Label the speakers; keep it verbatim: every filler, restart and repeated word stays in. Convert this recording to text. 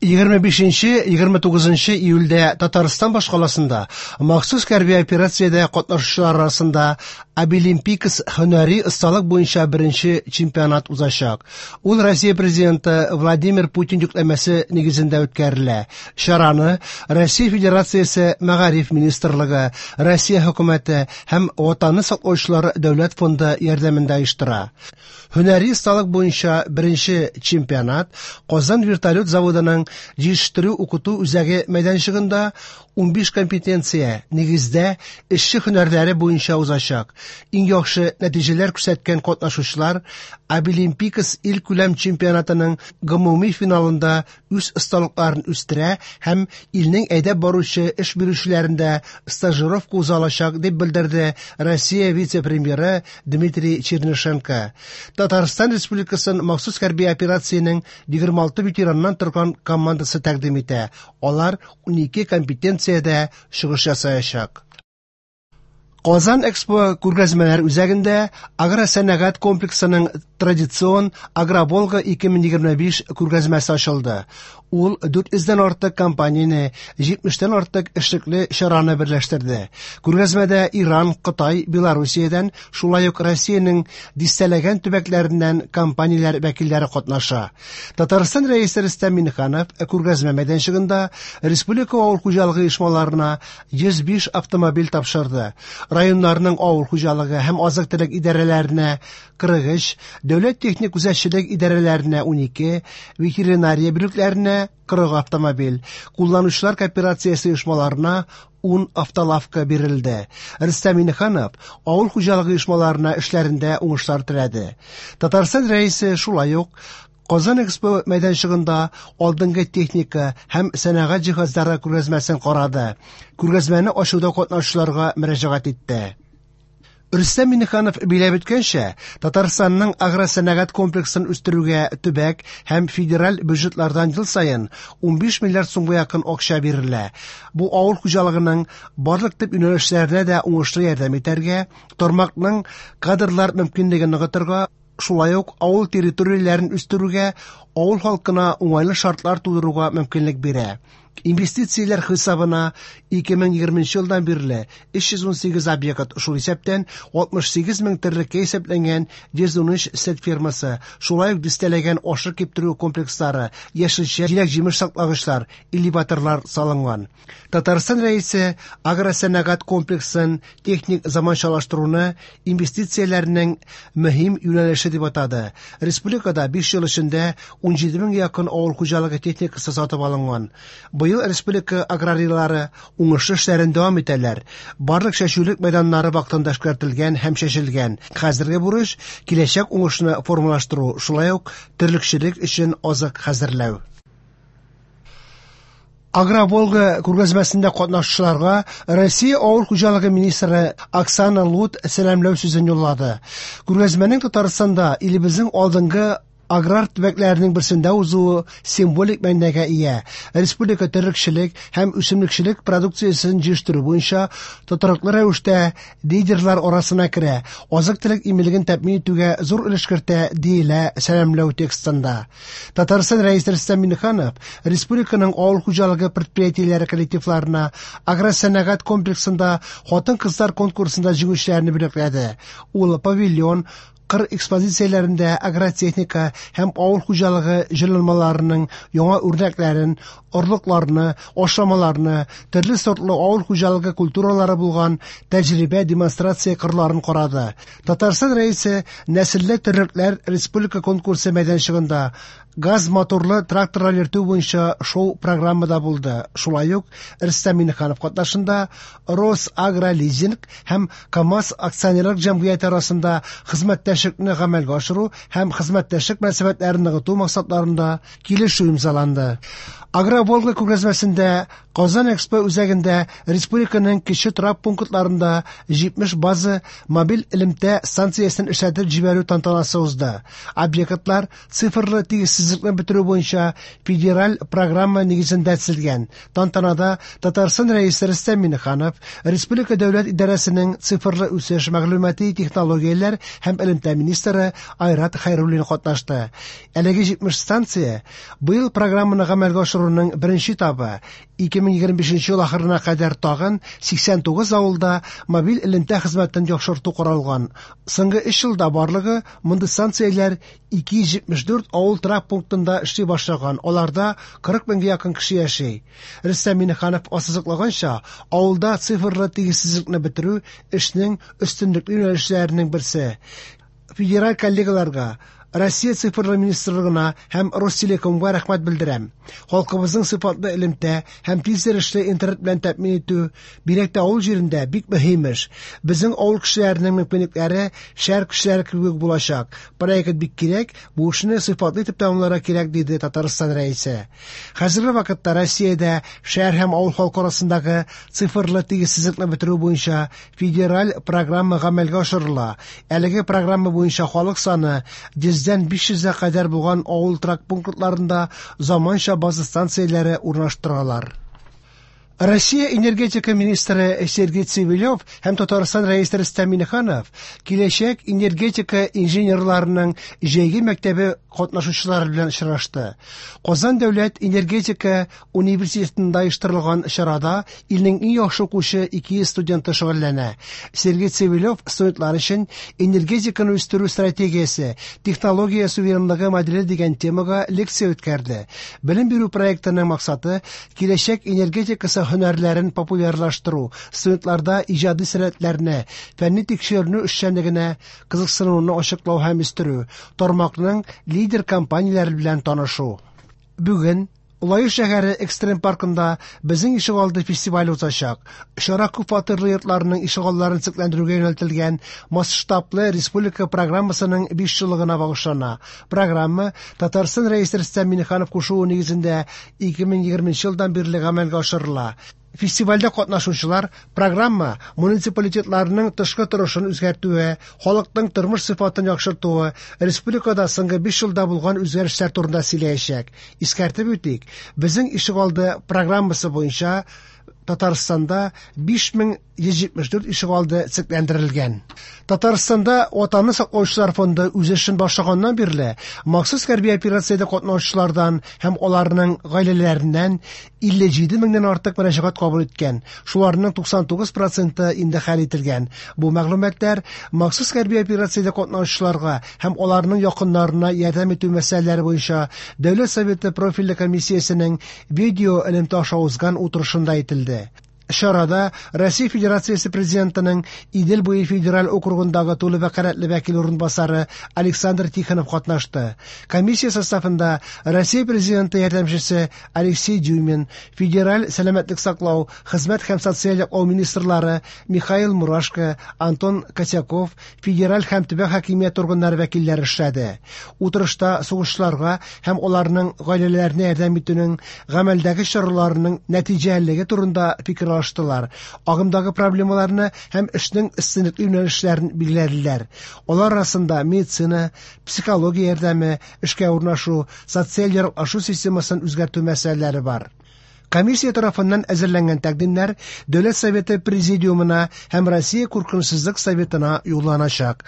Speaker 1: Егерме бишенче, егерме тугызынчы июльдә Татарстан башкаласында махсус хәрби операциядә катнашучылар арасында Абилимпикс һөнәри осталык буенча беренче чемпионат узачак. Ул Россия президенты Владимир Путин йөкләмәсе нигезендә үткәрелә. Чараны Россия Федерациясе Мәгариф министрлыгы, Россия хөкүмәте һәм Ватанны саклаучылар дәүләт фонды ярдәмендә оештыра. Һөнәри осталык буенча беренче чемпионат Казан вертолет заводының җитештерү укыту үзәге мәйданчыгында унбиш компетенция нигездә эшче һөнәрләре буенча узачак. Иң яхшы нәтиҗәләр күрсәткән катнашучылар Абилимпикс илкүләм чемпионатының гомуми финалында үз осталыкларын үстерә һәм илнең әйдәп баручы эш бирүчеләрендә стажировка уза алачак, дип белдерде Россия вице-премьеры Дмитрий Чернышенко. Татарстан Республикасын махсус хәрби операциянең егерме алты ветераннан торган командасы тәкъдим итә. Алар унике компетенциядә чыгыш ясаячак. Казан Экспо күргәзмәләр үзәгендә агросәнәгать комплексының традицион Агроволга ике мең егерме биш күргәзмәсе ачылды. Ул дүрт йөздән артык компанияне, җитмештән артык эшлекле чараны берләштерде. Күргәзмәдә Иран, Кытай, Белоруссиядән, шулай ук Россиянең дистәләгән төбәкләреннән компанияләр вәкилләре катнаша. Татарстан Рәисе Рөстәм Миңнеханов күргәзмә мәйданчыгында республика авыл хуҗалыгы оешмаларына йөз биш автомобиль тапшырды. Районнарның авыл хуҗалыгы һәм азык-төлек идарәләренә кырык өч, дәүләт техник күзәтчелек идарәләренә унике, ветеринария бүлекләренә кырык автомобиль, кулланучылар кооперациясе оешмаларына ун автолавка бирелде. Рөстәм Миңнеханов авыл хуҗалыгы оешмаларына эшләрендә уңышлар теләде. Татарстан Рәисе шулай ук Казан Экспо мәйданчыгында алдынгы техника һәм сәнәгать җиһазлары күргәзмәсен карады. Күргәзмәне ачуда катнашучыларга мөрәҗәгать итте. Рөстәм Миңнеханов биләп үткәнчә, Татарстанның агросәнәгать комплексын үстерүгә төбәк һәм федераль бюджетлардан ел саен унбиш миллиард сумга якын акча бирелә. Бу авыл хуҗалыгының барлык төп юнәлешләренә дә уңышлы ярдәм итәргә, тармакның кадрлар мөмкинлеген ныгытырга, шулай ук авыл территорияләрен үстерүгә, авыл халкына уңайлы шартлар тудыруга мөмкинлек бирә. Инвестицияләр хисабына ике мең егерменче елдан бирле өч йөз ун сигез объект, шул исәптән алтмыш сигез мең терлеккә исәпләнгән йөз ун өч сөт фермасы, шулай ук дистәләгән ашык киптерү комплекслары, яшелчә, җиләк-җимеш саклагычлар, элеваторлар салынган. Татарстан Рәисе агросәнәгать комплексын техник заманчалаштыруны инвестицияләрнең мөһим юнәлеше дип атады. Республикада биш ел эчендә ун җиде мең якын авыл хуҗалыгы техникасы сатып алынган. Быел республика аграрийлары уңышлы эшләрен дәвам итәләр. Барлык чәчүлек мәйданнары вакытында эшкәртелгән һәм чәчелгән. Хәзерге бурыч киләчәк уңышны формалаштыру, шулай ук терлекчелек өчен азык хәзерләү. Агроволга күргәзмәсендә катнашучыларга Россия авыл хуҗалыгы министры Оксана Лут сәламләү сүзен юллады. Күргәзмәнең Татарстанда илебезнең алдынгы аграр төбәкләренең берсендә узуы символик мәгънәгә ия. Республика терлекчелек һәм үсемлекчелек продукциясен җитештерү буенча тотрыклы рәвештә лидерлар арасына керә, азык-төлек иминлеген тәэмин итүгә зур өлеш кертә, диелә сәламләү текстында. Татарстан Рәисе Рөстәм Миңнеханов республиканың авыл хуҗалыгы предприятиеләре коллективларына агросәнәгать комплексында хатын-кызлар конкурсында җиңүчеләрне бүләкләде. Ул павильон кыр экспозицияләрендә агротехника һәм авыл хуҗалыгы җайланмаларының яңа үрнәкләрен, орлыкларны, ашламаларны, төрле сортлы авыл хуҗалыгы культуралары булган тәҗрибә демонстрация кырларын карады. Татарстан Рәисе нәселле терлекләр республика конкурсы мәйданчыгында газ моторлы тракторлар йөртү буенча шоу программада булды. Шулай ук Рөстәм Миңнеханов катнашында Росагролизинг һәм КАМАЗ акционерлык җәмгыяте арасында хезмәттәшлекне гамәлгә ашыру һәм хезмәттәшлек мөнәсәбәтләрен ныгыту максатларында килешү имзаланды. Агроволга күргәзмәсендә Казан Экспо үзәгендә республиканың кече торак пунктларында җитмеш база мобиль элемтә станциясен эшләтеп җибәрү тантанасы узды. Объектлар цифрлы тигезсезлекне бетерү буенча федераль программа нигезендә төзелгән. Тантанада Татарстан Рәисе Рөстәм Миңнеханов, Республика дәүләт идарәсенең цифрлы үсеш, мәгълүмати технологияләр һәм элемтә министры Айрат Хәйруллин катнашты. Әлеге җитмеш станция быел программаны гамәлгә ашыру урнаштыруның беренче этабы. ике мең егерме бишенче ел ахырына кадәр тагын сиксән тугыз авылда мобиль элемтә хезмәтен яхшырту каралган. Соңгы өч елда барлыгы мондый станцияләр ике йөз җитмеш дүрт авыл торак пунктында эшли башлаган, аларда кырык меңгә якын кеше яши. Рөстәм Миңнеханов ассызыклаганча, авылда цифрлы тигезсезлекне бетерү эшнең өстенлекле юнәлешләренең берсе. Федераль коллегаларга, Россия Цифрлы министрлыгына һәм Ростелекомга рәхмәт белдерәм. Халкыбызның сыйфатлы элемтә һәм тиз йөрешле интернет белән тәэмин итү, бигрәк тә авыл җирендә, бик мөһим эш. Безнең авыл кешеләренең мөмкинлекләре шәһәр кешеләре кебек булачак. Проект бик кирәк, бу эшне сыйфатлы итеп тәмамларга кирәк, диде Татарстан Рәисе. Хәзерге вакытта Россиядә шәһәр һәм авыл халкы арасындагы цифрлы тигезсезлекне бетерү буенча федераль программа гамәлгә ашырыла. Әлеге программа буенча халык саны йөздән биш йөзгә кадәр булган авыл торак пунктларында заманча база станцияләре урнаштыралар. Россия энергетика министры Сергей Цивилев һәм Татарстан Рәисе Рөстәм Миңнеханов киләчәк энергетика инженерларының җәйге мәктәбе катнашучылары белән очрашты. Казан дәүләт энергетика университетында оештырылган чарада илнең иң яхшы укучы ике йөз студенты шөгыльләнә. Сергей Цивилев студентлар өчен «Энергетиканы үстерү стратегиясе, технология суверенлыгы моделе» дигән темага лекция үткәрде. Белем бирү проектының максаты киләчәк энергетикасы һөнәрләрен популярлаштыру, студентларда иҗади сәләтләрне, фәнни тикшеренү эшчәнлегенә кызыксынуны ачыклау һәм үстерү, тармакның лидер компанияләре белән танышу. Бүген Лаеш шәһәре экстрем паркында «Безнең ишегалды» фестивале узачак. Чара күп фатирлы йортларның ишегалларын төзекләндерүгә юнәлтелгән масштаблы республика программасының биш еллыгына багышлана. Программа Татарстан Рәисе Рөстәм Миңнеханов кушуы нигезендә ике мең егерменче елдан бирле гамәлгә ашырыла. Фестивальдә катнашучылар программа муниципалитетларның тышкы торышын үзгәртүе, халыкның тормыш сыйфатын яхшыртуы, республикада соңгы биш елда булган үзгәрешләр турында сөйләячәк. Искәртеп үтик, «Безнең ишегалды» программасы буенча Татарстанда биш мең йөз җитмеш дүрт ишегалды төзекләндерелгән. Татарстанда Ватанны саклаучылар фонды үз эшен башлаганнан бирле махсус хәрби операциядә катнашучылардан һәм аларның гаиләләреннән илле җиде меңнән артык мөрәҗәгать кабул иткән. Шуларның туксан тугыз проценты инде хәл ителгән. Бу мәгълүматлар махсус хәрби операциядә катнашучыларга һәм аларның якыннарына ярдәм итү мәсьәләләре буенча Дәүләт Советы профильле комиссиясенең видео элемтә аша узган утырышында әйтелде. Чарада Россия Федерациясе Президентының Идел буе федераль округындагы тулы вәкаләтле вәкил урынбасары Александр Тихонов катнашты. Комиссия составында Россия Президенты ярдәмчесе Алексей Дюмин, федераль сәламәтлек саклау, хезмәт һәм социаль яклау министрлары Михаил Мурашко, Антон Котяков, федераль һәм төбәк хакимият органнары вәкилләре эшләде. Утырышта сугышчыларга һәм аларның гаиләләренә ярдәм итүнең гамәлдәге чараларының нәтиҗәлелеге турында фикер алыштылар. Агымдагы проблемаларны һәм эшнең өстенлекле юнәлешләрен билгеләделәр. Алар арасында медицина, психология ярдәме, эшкә урнашу, социаль яраклашу системасын үзгәртү мәсьәләләре бар. Комиссия тарафыннан әзерләнгән тәкъдимнәр Дәүләт Советы Президиумына һәм Россия Куркынычсызлык Советына юлланачак.